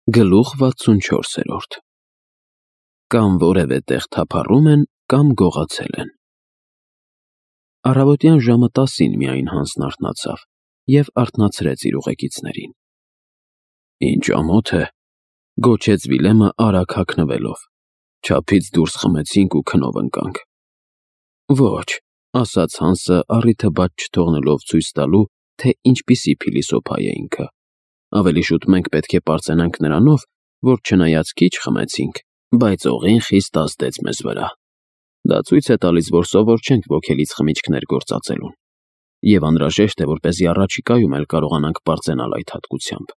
Գլուխ 64 Կամ որևէ տեղ թափառում են, կամ գողացել են։ Առավոտյան ժամը 10-ին միայն Հանսն արթնացավ և արթնացրեց իր ուղեկիցներին։ «Ինչ ամոթ է,» գոչեց Վիլեմը արագ հագնվելով, «չափից դուրս խմեցինք ու քնով ընկանք»։ «Ոչ,» ասաց Հանսը առիթը բաց չթողնելով ցույց տալու, թե ինչպիսի փիլիսոփա է ինքը, ավելի շուտ մենք պետք է պարծենանք նրանով, որ չնայած քիչ խմեցինք, բայց օղին խիստ ազդեց մեզ վրա։ Դա ցույց է տալիս, որ սովոր չենք ոգելից խմիչքներ գործածելուն, և անհրաժեշտ է, որպեսզի առաջիկայում էլ կարողանանք պարծենալ այդ հատկությամբ։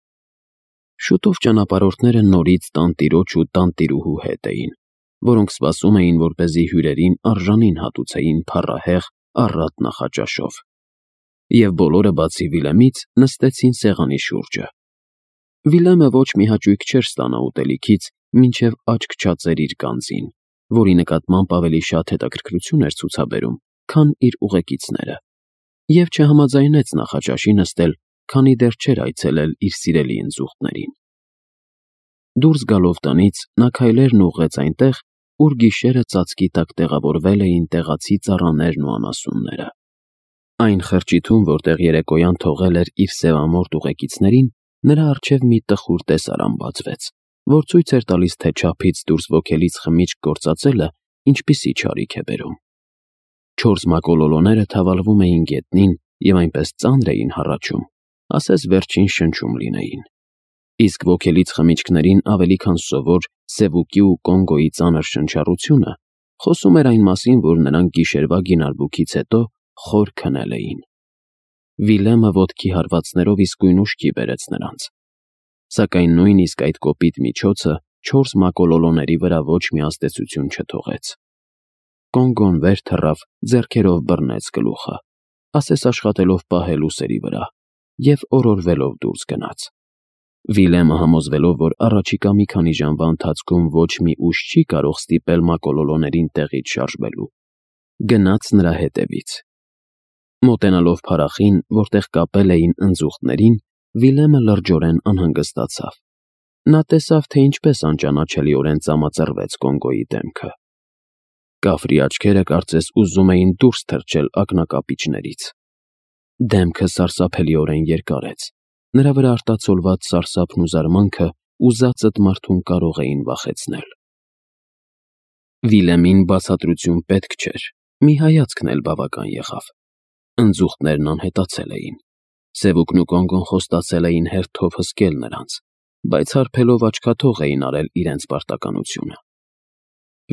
Շուտով ճանապարհորդները նորից տանտիրոջ ու տանտիրուհու հետ էին, որոնք սպասում էին, որպեսզի հյուրերին արժանին հատուցեին փառահեղ առատ նախաճաշով։ Եվ բոլորը, բացի Վիլեմից, նստեցին սեղանի շուրջը։ Վիլեմը ոչ մի հաճույք չէր ստանա ուտելիքից, մինչև աչք չածեր իր գանձին, որի նկատմամբ ավելի շատ հետաքրքրություն էր ցուցաբերում, քան իր ուղեկիցները, և չհամաձայնեց նախաճաշի նստել, քանի դեռ չէր այցելել իր սիրելի ընձուղտներին։ Դուրս գալով տնից, նա քայլերն ուղղեց այնտեղ, ուր գիշերը ծածկի տակ տեղավորվել էին տեղացի ծառաներն ու անասունները։ Այն խրճիթում, որտեղ երեկոյան թողել էր իր սևամորթ ուղեկիցներին, նրա առջև մի տխուր տեսարան բացվեց, որ ցույց էր տալիս, թե չափից դուրս ոգելից խմիչք գործածելը ինչպիսի չարիք է բերում։ 4 մակոլոլոները թավալվում էին գետնին և այնպես ծանր էին հառաչում, ասես վերջին շնչում լինեին։ Իսկ ոգելից խմիչքներին ավելի քան սովոր Սևուկի ու Կոնգոյի ծանր շնչառությունը խոսում էր այն մասին, որ նրանք գիշերվա գինարբուքից հետո խոր քնել էին։ Վիլեմը ոտքի հարվածներով իսկույն ուշքի բերեց նրանց։ Սակայն նույնիսկ այդ կոպիտ միջոցը 4 մակոլոլոների վրա ոչ մի ազդեցություն չթողեց։ Կոնգոն վեր թռավ, ձեռքերով բռնեց գլուխը, ասես աշխատելով պահել ուսերի վրա, և օրորվելով դուրս գնաց։ Վիլեմը, համոզվելով, որ առաջիկա մի քանի ժամվա ընթացքում ոչ մի ուժ չի կարող ստիպել մակոլոլոներին տեղից շարժվելու, գնաց նրա հետևից։ Մոտենալով փարախին, որտեղ կապել էին ընձուղտներին, Վիլեմը լրջորեն անհանգստացավ։ Նա տեսավ, թե ինչպես անճանաչելիորեն ծամածռվեց Կոնգոյի դեմքը։ Կաֆրի աչքերը կարծես ուզում էին դուրս թռչել ակնակապիճներից։ Դեմքը սարսափելիորեն երկարեց, նրա վրա արտացոլված սարսափն ու զարմանքը ուզածդ մարդուն կարող էին վախեցնել։ Վիլեմին բացատրություն պետք չէր, մի հայացքն էլ բավական եղավ։ Ընձուղտներն անհետացել էին։ Սևուկն ու Կոնգոն խոստացել էին հերթով հսկել նրանց, բայց հարբելով աչքաթող էին արել իրենց պարտականությունը։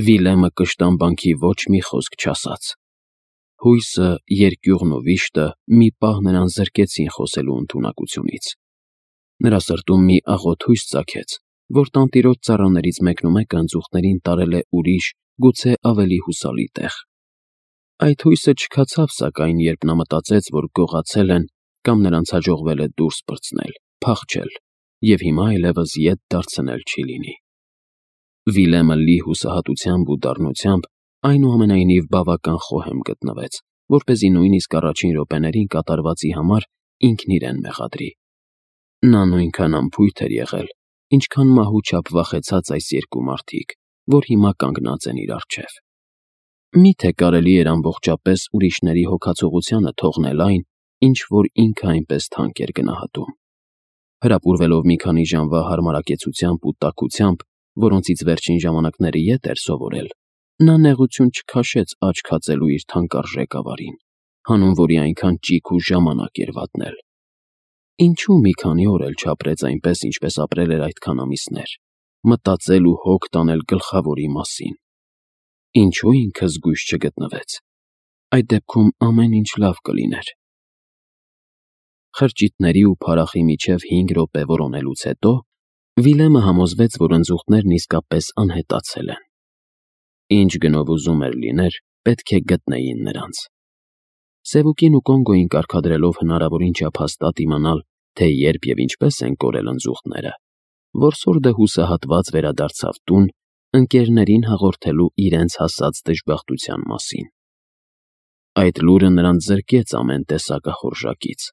Վիլեմը կշտամբանքի ոչ մի խոսք չասաց։ Հույսը, երկյուղն ու վիշտը մի պահ նրան զրկեցին խոսելու ընդունակությունից։ Նրա սրտում մի աղոտ հույս ծագեց, որ տանտիրոջ ծառաներից մեկնումեկը ընձուղտներին տարել է ուրիշ, գուցե ավելի հուսալի տեղ։ Այդ հույսը չքացավ, սակայն, երբ նա մտածեց, որ գողացել են կամ նրանց հաջողվել է դուրս պրծնել, փախչել, և հիմա այլևս ետ դարձնել չի լինի։ Վիլեմը լի հուսահատությամբ ու դառնությամբ այնուամենայնիվ բավական խոհեմ գտնվեց, որպեսզի նույնիսկ առաջին րոպեներին կատարվածի համար ինքն իրեն մեղադրի։ Նա նույնքան անփույթ էր եղել, ինչքան մահու չափ վախեցած այս երկու մարդիկ, որ հիմա կանգնած են իր առջև։ Մի՞թե կարելի էր ամբողջապես ուրիշների հոգացողությանը թողնել այն, ինչ որ ինքը այնպես թանկ էր գնահատում։ Հրապուրվելով մի քանի ժամվա հարմարակեցությամբ ու տաքությամբ, որոնցից վերջին ժամանակները ետ էր սովորել, նա նեղություն չքաշեց աչք հածելու իր թանկարժեք ավարին, հանուն որի այնքան ճիգ ու ժամանակ էր վատնել։ Ինչու մի քանի օր էլ չապրեց այնպես, ինչպես ապրել էր այդքան ամիսներ, մտածել ու հոգ տանել գլխավորի մասին։ Ինչու ինքը զգույշ չգտնվեց։ Այդ դեպքում ամեն ինչ լավ կլիներ։ Խրճիթների ու փարախի միջև 5 րոպե որոնելուց հետո Վիլեմը համոզվեց, որ ընձուղտներն իսկապես անհետացել են։ Ինչ գնով ուզում էր լիներ, պետք է գտնեին նրանց։ Սևուկին ու Կոնգոյին կարգադրելով հնարավորին չափ հաստատ իմանալ, թե երբ և ինչպես են կորել ընձուղտները, որսորդը հուսահատված վերադարձավ տուն, ընկերներին հաղորդելու իրենց հասած դժբախտության մասին։ Այդ լուրը նրան զրկեց ամեն տեսակախորժակից։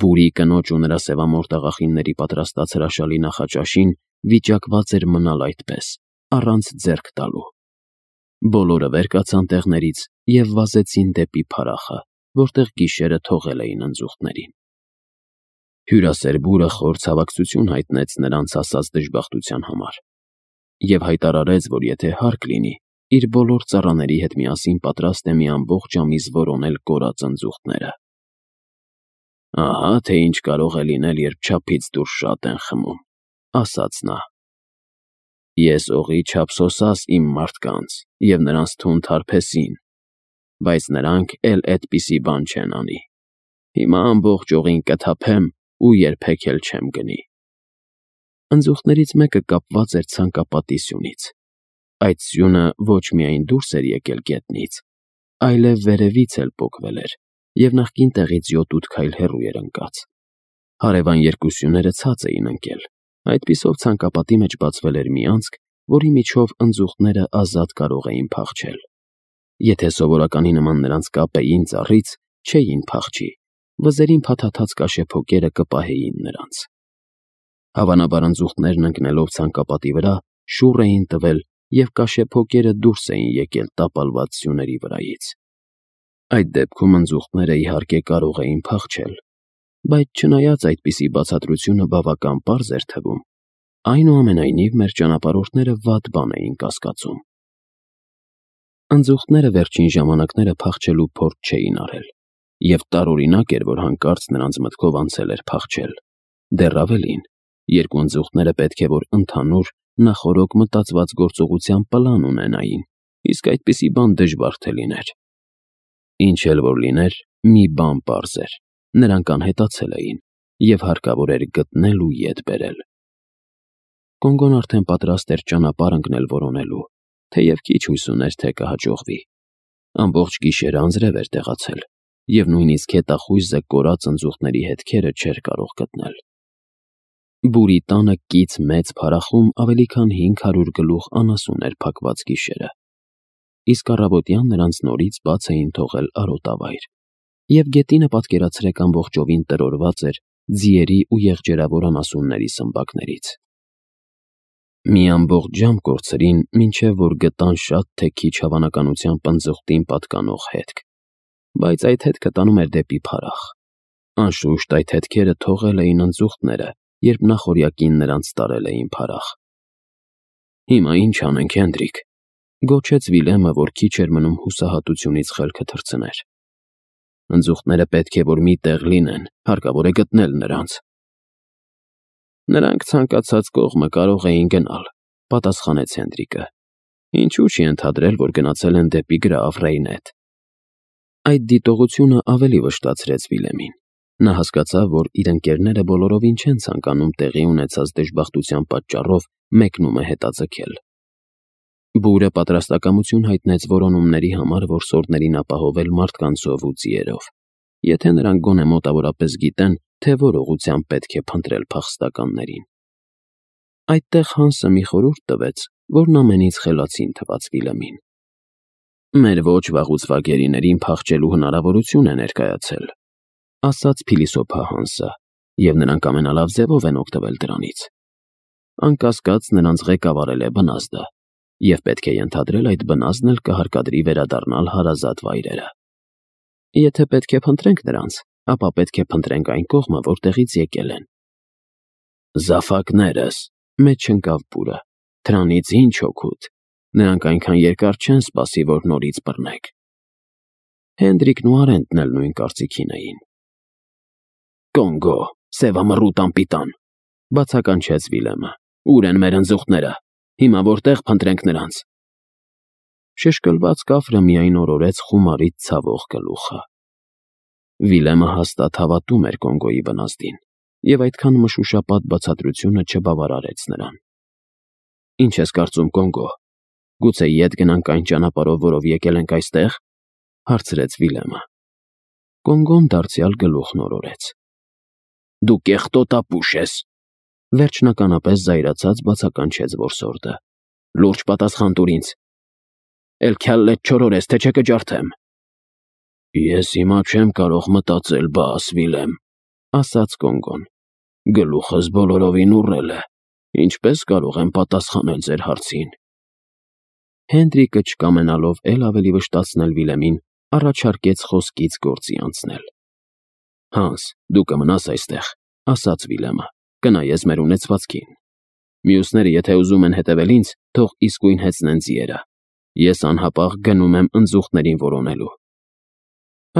Բուրի կնոջ ու նրա սևամորթ աղախինների պատրաստած հրաշալի նախաճաշին վիճակված էր մնալ այդպես, առանց ձեռք տալու։ Բոլորը վեր կացան տեղներից և վազեցին դեպի փարախը, որտեղ գիշերը թողել էին ընձուղտներին։ Հյուրասեր բուրը խոր ցավակցություն հայտնեց նրանց հասած դժբախտության համար և հայտարարեց, որ եթե հարկ լինի, իր բոլոր ծառաների հետ միասին պատրաստ է մի ամբողջ ամիս որոնել կորած ընձուղտները։ «Ահա թե ինչ կարող է լինել, երբ չափից դուրս շատ են խմում», ասաց նա։ «Ես օղի չափ սոսաս իմ մարդկանց և նրանց թունդ հարբեցին, բայց նրանք էլ էդպիսի բան չեն անի։ Հիմա ամբողջ օղին կթափեմ ու երբեք էլ չեմ գնի»։ Ընձուղտներից մեկը կապված էր ցանկապատի սյունից։ Այդ սյունը ոչ միայն դուրս էր եկել գետնից, այլև վերևից էլ պոկվել էր և նախկին տեղից 7-8 քայլ հեռու էր ընկած։ Հարևան երկու սյուները ցած էին ընկել, այդպիսով ցանկապատի մեջ բացվել էր մի անցք, որի միջով ընձուղտները ազատ կարող էին փախչել։ Եթե սովորականի նման նրանց կապեին ծառից, չէին փախչի, վզերին փաթաթած կաշեփոկերը կպահեին նրանց։ Հավանաբար ընձուղտներն ընկնելով ցանկապատի վրա շուռ էին տվել և կաշեփոկերը դուրս էին եկել տապալված սյուների վրայից։ Այդ դեպքում ընձուղտները իհարկե կարող էին փախչել, բայց չնայած այդպիսի բացատրությունը բավական պարզ էր թվում, այնուամենայնիվ մեր ճանապարհորդները վատ բան էին կասկածում։ Ընձուղտները վերջին ժամանակները փախչելու փորձ չէին արել, և տարօրինակ էր, որ հանկարծ նրանց մտքով անցել էր փախչել։ Դեռ ավելին, երկու ընձուղտները պետք է որ ընդհանուր, նախօրոք մտածված գործողության պլան ունենային, իսկ այդպիսի բան դժվար թե լիներ։ Ինչ էլ որ լիներ, մի բան պարզ էր. նրանք անհետացել էին, և հարկավոր էր գտնել ու ետ բերել։ Կոնգոն արդեն պատրաստ էր ճանապարհ ընկնել որոնելու, թեև քիչ հույս ուներ, թե կհաջողվի։ Ամբողջ գիշերը անձրև էր տեղացել, և նույնիսկ հետախույզը կորած ընձուղտների հետքերը չէր կարող գտնել։ Բուրի տանը կից մեծ փարախում ավելի քան 500 գլուխ անասուն էր փակված գիշերը, իսկ առավոտյան նրանց նորից բաց էին թողել արոտավայր, և գետինը պատկերացրեք ամբողջովին տրորված էր ձիերի ու եղջերավոր անասունների սմբակներից։ Մի ամբողջ ժամ կորցրին, մինչև որ գտան շատ թե քիչ հավանականությամբ ընձուղտին պատկանող հետք, բայց այդ հետքը տանում էր դեպի փարախ։ Անշուշտ այդ հետքերը թողել էին ընձուղտները, երբ նախօրյակին նրանց տարել էին փարախ։ «Հիմա ինչ անենք, Հենդրիկ», գոչեց Վիլյամը, որ քիչ էր մնում հուսահատությունից խելքը թռցներ։ «Ընձուղտները պետք է որ մի տեղ լինեն, հարկավոր է գտնել նրանց»։ «Նրանք ցանկացած կողմը կարող էին գնալ», պատասխանեց Հենդրիկը։ «Ինչու՞ չի ընդհանրել, որ գնացել են դեպի Գրաֆ Ռեյնետ»։ Այդ դիտողությունը ավելի վշտացրեց Վիլյամին։ Նա հասկացավ, որ իր ընկերները բոլորովին չեն ցանկանում տեղի ունեցած դժբախտության պատճառով մեկնումը հետաձգել։ Բուրը պատրաստակամություն հայտնեց որոնումների համար որսորդներին ապահովել մարդկանցով ու ձիերով, եթե նրանք գոնե մոտավորապես գիտեն, թե որ ուղղությամբ պետք է փնտրել փախստականներին։ Այդտեղ Հանսը մի խորհուրդ տվեց, որն ամենից խելացին թվաց Վիլյամին։ «Մեր ոչ վաղուց վագերիներին փախչելու հնարավորություն է ներկայացել», ասաց փիլիսոփա Հանսը, և նրանք ամենալավ ձևով են օգտվել դրանից։ Անկասկած նրանց ղեկավարել է բնազդը, և պետք է ենթադրել այդ բնազդն էլ կհարկադրի վերադառնալ հարազատ վայրերը։ Եթե պետք է փնտրենք նրանց, ապա պետք է փնտրենք այն կողմը, որտեղից եկել են։ «Զաֆակներս», մեջ ընկավ Բուրը, «դրանից ինչ օգուտ, նրանք այնքան երկար չեն սպասի, որ նորից բռնեք»։ Հենդրիկն ու Արենտն էլ նույն կարծիքին էին։ «Կոնգո, սևամռութ անպիտան», բացականչեց Վիլյամը։ «Ուր են մեր ընձուղտները։ Հիմա որտեղ փնտրենք նրանց»։ Շշկլված կափրը միայն օրորեց խումարից ցավող գլուխը։ Վիլյամը հաստատ հավատում էր Կոնգոյի բնազդին, և այդքան մշուշապատ բացատրությունը չբավարարեց նրան։ «Ինչ ես կարծում, Կոնգո, գուցե ետ գնանք այն ճանապարհով, որով եկել ենք այստեղ», հարցրեց Վիլյամը։ Կոնգոն դարձյալ գլուխն օրորեց։ «Դու կեղտոտապուշ ես», վերջնականապես զայրացած բացականչեց որսորդը։ «Լուրջ պատասխան տուր ինձ։ Էլ քյալլետ չորորես, թե չէ կջարդեմ»։ «Ես հիմա չեմ կարող մտածել, բաս, Վիլյամ», ասաց Կոնգոն։ «Գլուխս բոլորովին ուռել է։ Ինչպես կարող եմ պատասխանել ձեր հարցին։ Հենրիկը չկամենալով էլ ավելի վշտացնել Վիլեմին, առաջարկեց խոսքից գործի անցնել։ Հանս, դու կմնաս այստեղ, ասաց Վիլեմը, կնայես մեր ունեցվածքին։ Մյուսները, եթե ուզում են հետևել ինձ, թող իսկույն հեծնեն ձիերը։ Ես անհապաղ գնում եմ ընձուղտներին որոնելու։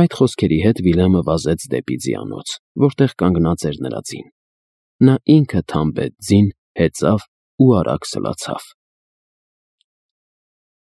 Այդ խոսքերի հետ Վիլեմը վազեց դեպի ձիանոց, որտեղ կանգնած էր նրա ձին։ Նա ինքը թամբեց ձին, հեծավ ու արագ սլացավ։